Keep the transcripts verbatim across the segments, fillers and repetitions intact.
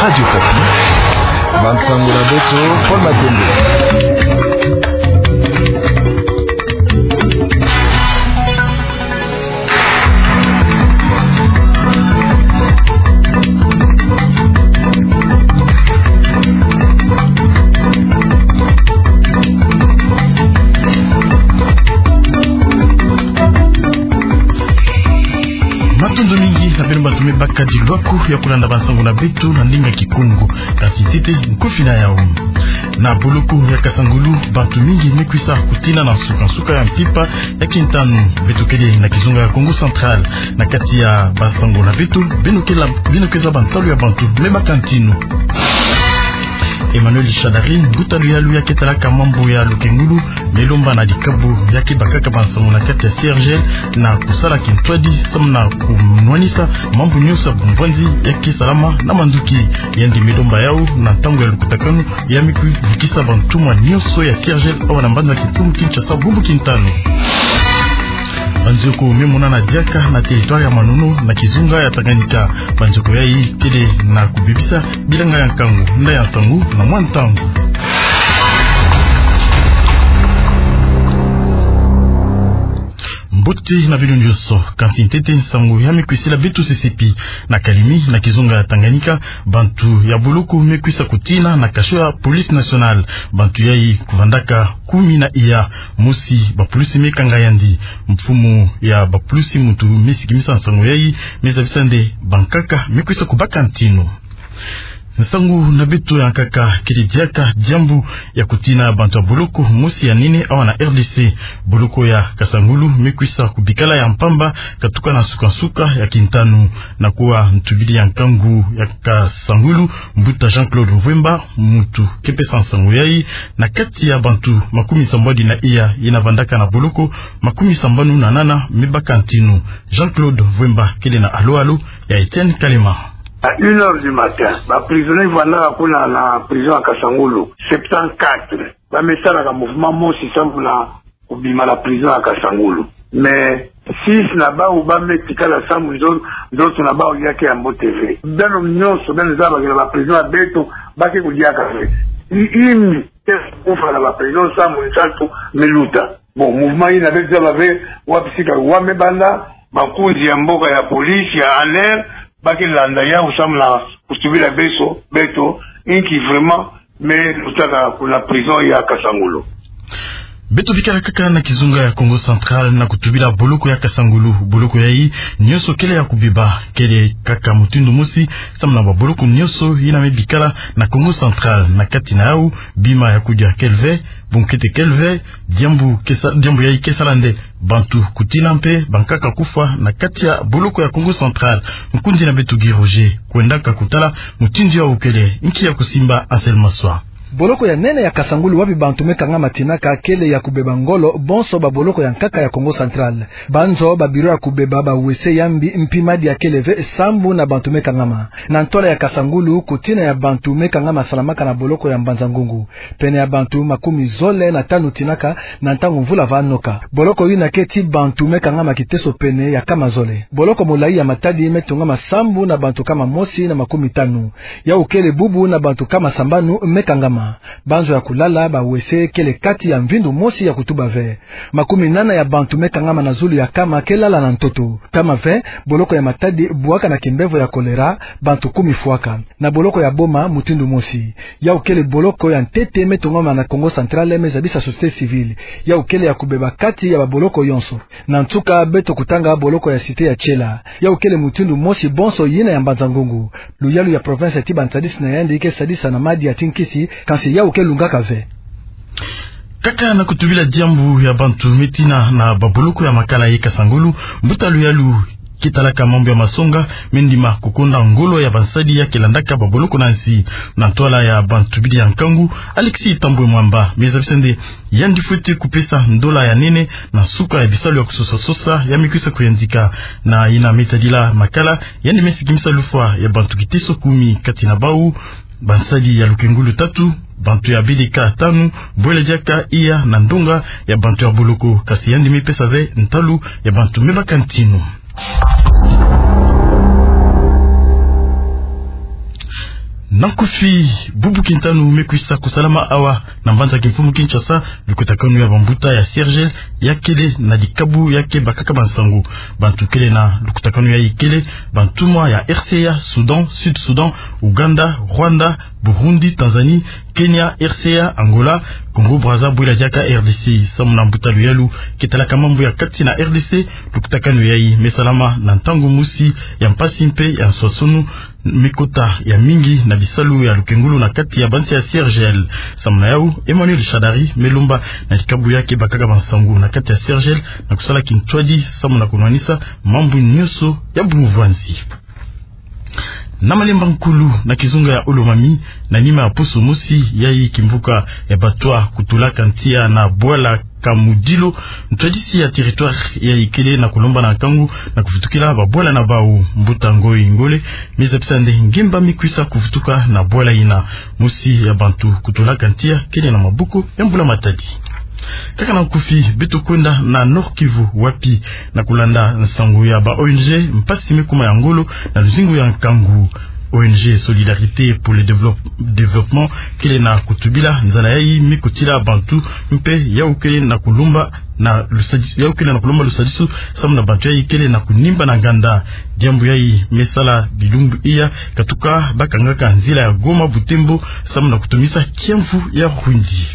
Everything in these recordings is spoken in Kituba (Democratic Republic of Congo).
Radio Okapi. Bansango na beto, Paul Matembe. Matondo mingi na beno bantu me bakadi lwaku ya kulanda bansango na beto na ndinga Kikongo. Kasi ntete nkufi na yau. Na boloko ya Kasangulu, bantu mingi me kwisa kutina na nsuka-nsuka ya mpimpa ya kintanu. Beto kele na kizunga ya Kongo Central. Na kati ya bansango na beto, beno kele, beno ke zaba ntalu ya bantu me baka ntinu. Emmanuel Shadary, mbuta luyalu ya ke talaka mambu ya lukengulu, me lomba na dikabu ya ke bakaka bansango na kati ya C R G L na kusala kintwadi samu na kunwanisa mambu nyonso ya bumbwanzi ya ke salama na manduki. Yandi me lomba yau na ntangu ya lukutakanu ya me kuvukisa bantumwa nyonso ya C R G L awa na mbanza Kintumu Kinshasa, bumbu kintanu. Banzioko me monana diaka na territoire ya Manono na kizunga ya Tanganyika. Banzioko yayi kele na kubebisa bilanga ya nkangu. Nda ya nsangu na mwa ntangu. Mbote na bino nyonso, kansi ntete nsangu ya me kwisila beto sesepi. Na Kalemi, na kizunga ya Tanganyika, bantu ya boloko me kwisa kutina na cachot ya Police Nationale. Bantu yayi kuvandaka kumi na iya. Mosi, bapolisi me kanga yandi. Mfumu ya bapolisi muntu me sikimisa nsangu yayi, me zabisa nde bankaka me kwisa kubaka ntinu. Nsangu na beto ya nkaka kele diaka diambu ya kutina bantu ya boloko mosi ya nene awa na R D C. Boloko ya Kasangulu me kwisa kubikala ya mpamba katuka na nsuka-nsuka ya kintanu. Na kuwa ntubidi ya nkangu ya Kasangulu, mbuta Jean-Claude Mvwemba, muntu ke pesa nsangu yayi, na kati ya bantu makumi sambanu na iya yina vandaka na boloko, makumi sambanu na nana me baka ntinu. Jean-Claude Mvwemba kele na alo-alo ya Etienne Kalema. À une heure du matin, ba prisonniers vandaka kuna na prison ya Kasangulu, septante-quatre. Ba me salaka mouvement mosi samu na kubima na prison ya Kasangulu. Mais six na bau ba me tikala samu nzo-, nzoto na bau ya ke ya mbote ve. Beno nyonso, beno zaba ke na ba prison ya beto, ba ke kudiaka ve. I-, imi, te kufa na ba prison samu nsatu me luta. Bon, mouvement yina beto zaba ve wapi sika wa me banda, bakunzi ya mboka, ya police, ya A N R, ba ke landa yau samu na kutubila beso, beto, inki vraiment me lutaka kuna prison ya Kasangulu. Beto bikala kaka na kizunga ya Kongo Central na kutubila boloko ya Kasangulu. Boloko yayi nyonso kele ya kubeba, kele kaka mutindu mosi samu na ba boloko nyonso yina me bikala na Kongo Central. Na kati na yau, bima ya kudia kele ve, bunkete kele ve, diambu ke sa-, diambu yayi ke sala nde bantu kutina mpe bankaka kufa na kati ya boloko ya Kongo Central. Nkundi na beto Guy Roger kwendaka kutala mutindu yau kele. Nki ya kusimba Ansel Maswa. Boloko ya nene ya Kasangulu wapi bantu me kangama tinaka kele ya kubeba ngolo bonso ba boloko ya nkaka ya Kongo Central. Banzo ba bureau ya kubeba ba wese yambi mpi madi ya kele ve sambu na bantu me kangama. Na ntwala ya Kasangulu, kutina ya bantu me kangama salamaka na boloko ya Mbanza-Ngungu. Pene ya bantu makumi zole na tanu tinaka na ntangu mvula va noka. Boloko yina keti bantu me kangama kiteso pene ya kama zole. Boloko molayi ya Matadi me tongama sambu na bantu kama mosi na makumi tanu. Yau kele bubu na bantu kama sambanu me kangama. Banzo ya kulala, ba wese kele kati ya mvindu mosi ya kutuba ve. Makumi nana ya bantu me kangama na zulu ya kama ke lala na ntoto. Kama ve, boloko ya Matadi bwaka na kimbevo ya choléra, bantu kumi fwaka. Na boloko ya Boma mutindu mosi. Yau kele boloko ya ntete me tongama na Kongo Central me zabisa société civile. Yau kele ya kubeba kati ya ba boloko yonso. Na nsuka beto kutanga boloko ya Cité ya Tiela. Yau kele mutindu mosi bonso yina ya Mbanza-Ngungu. Luyalu ya province ti ba ntadisi na yandi ke sadisa na madi ya tinkisi, kansi yau ke lungaka ve. Kaka na kutubila diambu ya bantu me tina na ba boloko ya Makala ye Kasangulu, mbuta luyalu ke talaka mambu ya masonga me ndima kukonda ngolo ya bansadi ya ke landaka ba boloko na nsi. Na ntwala ya bantubidi ya nkangu, Alexis Thambwe Mwamba me zabisa nde yandi fweti kupesa ndola ya nene na nsuka ya bisalu ya kusosa-sosa ya me kwisa kuyantika. Na yina me tadila Makala, yandi me sikimisa lufwa ya bantu kiteso kumi, kati na bau bansadi ya lukengulu tatu, bantu ya B D K tanu, bwela diaka iya na ndonga ya bantu ya boloko, kansi yandi me pesa ve ntalu ya bantu me baka ntinu. Na nkufi, bubu kintanu me kwisa kusalama awa na mbanza kimfumu Kinshasa lukutakanu ya bambuta ya C R G L ya kele na dikabu ya ke bakaka bansangu. Bantu kele na lukutakanu yayi kele bantumwa ya R C A, Soudan, Sud Soudan, Ouganda, Rwanda, Burundi, Tanzanie, Kenya, R C A, Angola, Congo Brazza, Bwila Diaka, R D C. Samu na mbuta luyalu ke talaka mambu ya kati na R D C, lukutakanu yayi me salama na ntangu mosi ya mpasi mpe ya nswaswanu, me kota ya mingi na bisalu ya lukengulu na kati ya bansi ya C R G L. Samu na yawu, Emmanuel Shadari me lomba na dikabu ya ke bakaka bansangu na kati ya C R G L na kusala kintwadi samu na kunwanisa mambu nyonso ya bungu-bwanzi. Na Malemba Nkulu, na kizunga ya Haut-Lomami, na nima ya poso mosi yayi kimvuka ya Batwa kutulaka ntia na bwala Kamudilo, ntwadisi ya territoire yayi kele na kulomba na nkangu na kuvutukila babwala na bawu. Mbuta Ngoyi Ngole me zabisa nde ngemba me kwisa kuvutuka na bwala yina. Mosi ya bantu kutulaka ntia kele na maboko ya mbula-matadi. Kaka na nkufi, beto kwenda na Nord-Kivu, wapi, na kulanda nsangu ya ba O N G, mpasi me kuma ya ngolo na luzingu ya nkangu. O N G Solidarité pour le Développe-, Développement kele na kutubila nzala yayi me kotila bantu, mpe yawu kele na kulomba na lusadi-, yawu kele na kulomba lusadisu samu na bantu yayi kele na kunimba na nganda. Diambu yayi me sala bilumbu iya, katuka bakangaka nzila ya Goma-Butembo samu na kutumisa kiamvu ya Rwindi.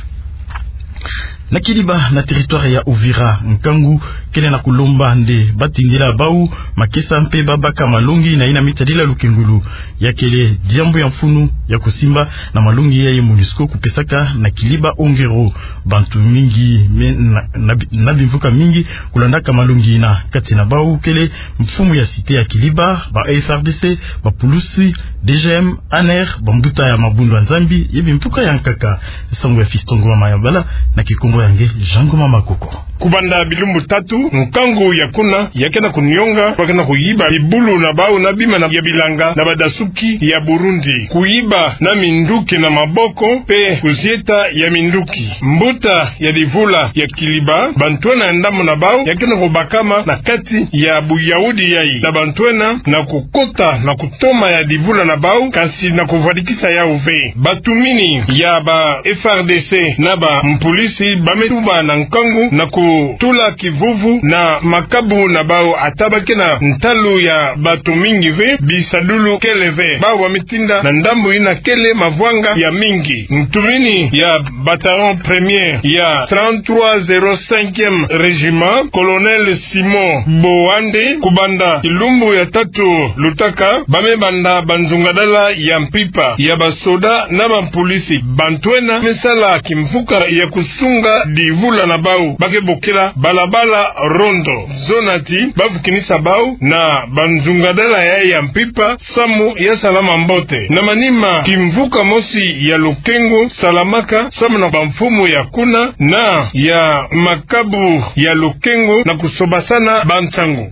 Na Kiliba, na territoire ya Uvira, nkangu kele na kulomba nde batindila bawu makesa mpe babaka malongi na yina me tadila lukengulu. Ya kele diambu ya mfunu ya kusimba na malongi yayi MONUSCO kupesaka na Kiliba Ongero. Bantu mingi me-, na, na, na bimvuka mingi kulandaka malongi yina, kati na bawu kele mfumu ya cité ya Kiliba, ba F A R D C, bapulusi, D G M, ANR, bambuta ya mabundu ya Nzambi, ye bimvuka ya nkaka. Nsangu ya Fiston Ngoma Mayabala, na kikongo ya nge Jean Ngoma Makoko. Kubanda bilumbu tatu, nkangu ya kuna ya ke na kunionga, ba ke na kuyiba bibulu na bawu na bima na, ya bilanga na badasuki ya Burundi, kuyiba na minduki na maboko mpe kuzieta ya minduki. Mbuta ya divula ya Kiliba, bantwena ya ndambu na bawu ya ke na kubakama na kati ya buyahudi yayi na bantwena na kukota na kutoma ya divula na bawu, kansi na kuvwadikisa yawu ve. Batumini ya ba F A R D C na bampulisi ba me tuba na nkangu na kutula kivuvu na makabu na bawu, ata ba ke na ntalu ya bantu mingi ve, bisadulu kele ve. Bawu ba me tinda na ndambu yina kele mavwanga ya mingi. Ntumini ya bataillon premier ya trente-trois zéro cinquième régiment, colonel Simon Boande, kubanda kilumbu ya tatu lutaka, ba me banda banzungadala ya mpimpa ya basoda na bampolisi. Bantwena me sala kimvuka ya kusunga divula na bawu, ba ke bokela balabala rondo. Zona ti ba vukinisa bawu na banzungadala ya, ya mpimpa samu ya salama mbote. Na manima, kimvuka mosi ya lukengo salamaka samu na bamfumu ya kuna na ya makabu ya lukengo na kusobasana bansangu.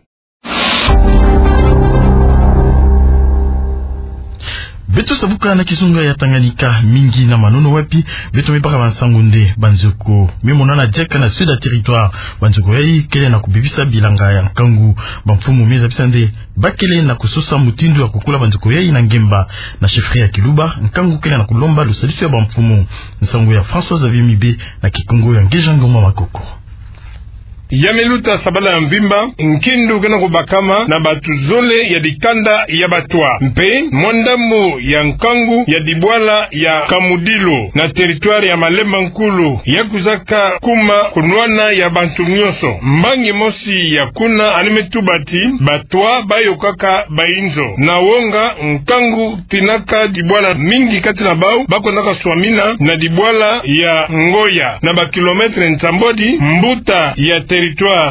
Beto sabuka na kizunga ya Tanganyika, mingi na manono wapi beto me baka bansangu nde banzoko me monana diaka na sud ya territoire. Banzoko yayi kele na kubebisa bilanga ya nkangu. Bamfumu me zabisa nde ba kele na kusosa mutindu ya kukula banzoko yayi na ngemba. Na chefferie ya Kiluba, nkangu kele na kulomba lusadisu ya bamfumu. Nsangu ya François Xavier Mibe, na kikongo ya nge Jean Ngoma Makoko. Ya me luta sabala ya mvimba, nkindu ke na kubakama na bantu zole ya dikanda ya Batwa. Mpe mwa ndambu ya nkangu ya dibwala ya Kamudilo na territoire ya Malemba Nkulu, ya kwizaka kuma kunwana ya bantu nyonso. Mbangi mosi ya kuna yandi me tuba ti Batwa ba yokaka bayinzo. Na wonga, nkangu tinaka dibwala mingi kati na bawu ba kwendaka swamina na dibwala ya Ngoya, na ba kilomètre nsambwadi. Mbuta ya territoire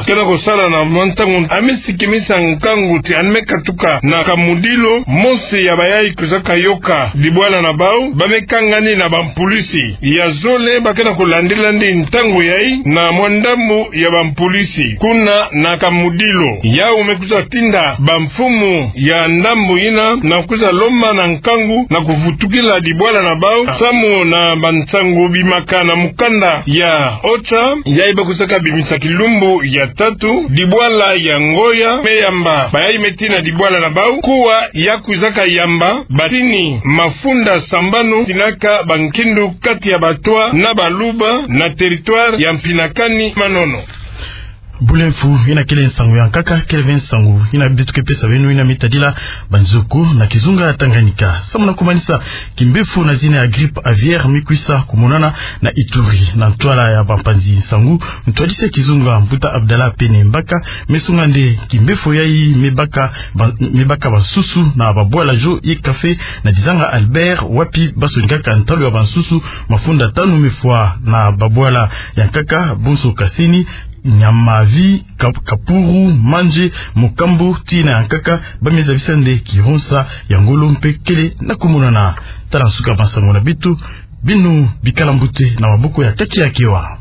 ke na kusala na mwa ntangu, yandi me sikimisa nkangu ti yandi me katuka na Kamudilo, mosi ya bayayi kwizaka yoka dibwala na bawu, ba me kangani na bampulisi. Ya zole ba ke na kulandila yandi ntangu yayi na mwa ndambu ya bampulisi kuna na Kamudilo. Yawu me kwiza tinda bamfumu ya ndambu yina na kwiza lomba na nkangu na kuvutukila dibwala na bawu, samu na bansangu bimaka na mukanda ya OCHA, yayi ba kwizaka bimisa kilumbu Mbu ya tatu, dibwala ya Ngoya me yamba bayai me tina dibwala na bau, kuwa ya kwizaka yamba batini mafunda sambanu tinaka bankindu kati ya Batwa na Baluba na territoire ya Mpinakani Manono. Bule mfu, yina kele nsangu ya nkaka, kele ve nsangu yina beto ke pesa beno yina mitadila banzoku na kizunga ya Tanganyika. Samu na kumanisa, kimbefu na zina ya grippe aviaire mikwisa kumonana na Ituri. Na ntwala ya bampanzi nsangu, ntwadisi ya kizunga Mbuta Abdallah Pene Mbaka mesonga nde kimbefu yayi mibaka ba-, mibaka bansusu na babwala Jo ye Café na Dizanga Albert, wapi basonikaka ntalu ya bansusu mafunda tanu mefwa na babwala ya nkaka, bonso kaseni, nyamavi, kap-, kapuru, manje, mokambo, tii na ya nkaka. Bamie zabisa nde kihonsa ya ngolo mpe kele na kumonana. Tala nsuka ya bansangu na beto. Beno bikala mbote na maboko ya Kaki Akewa.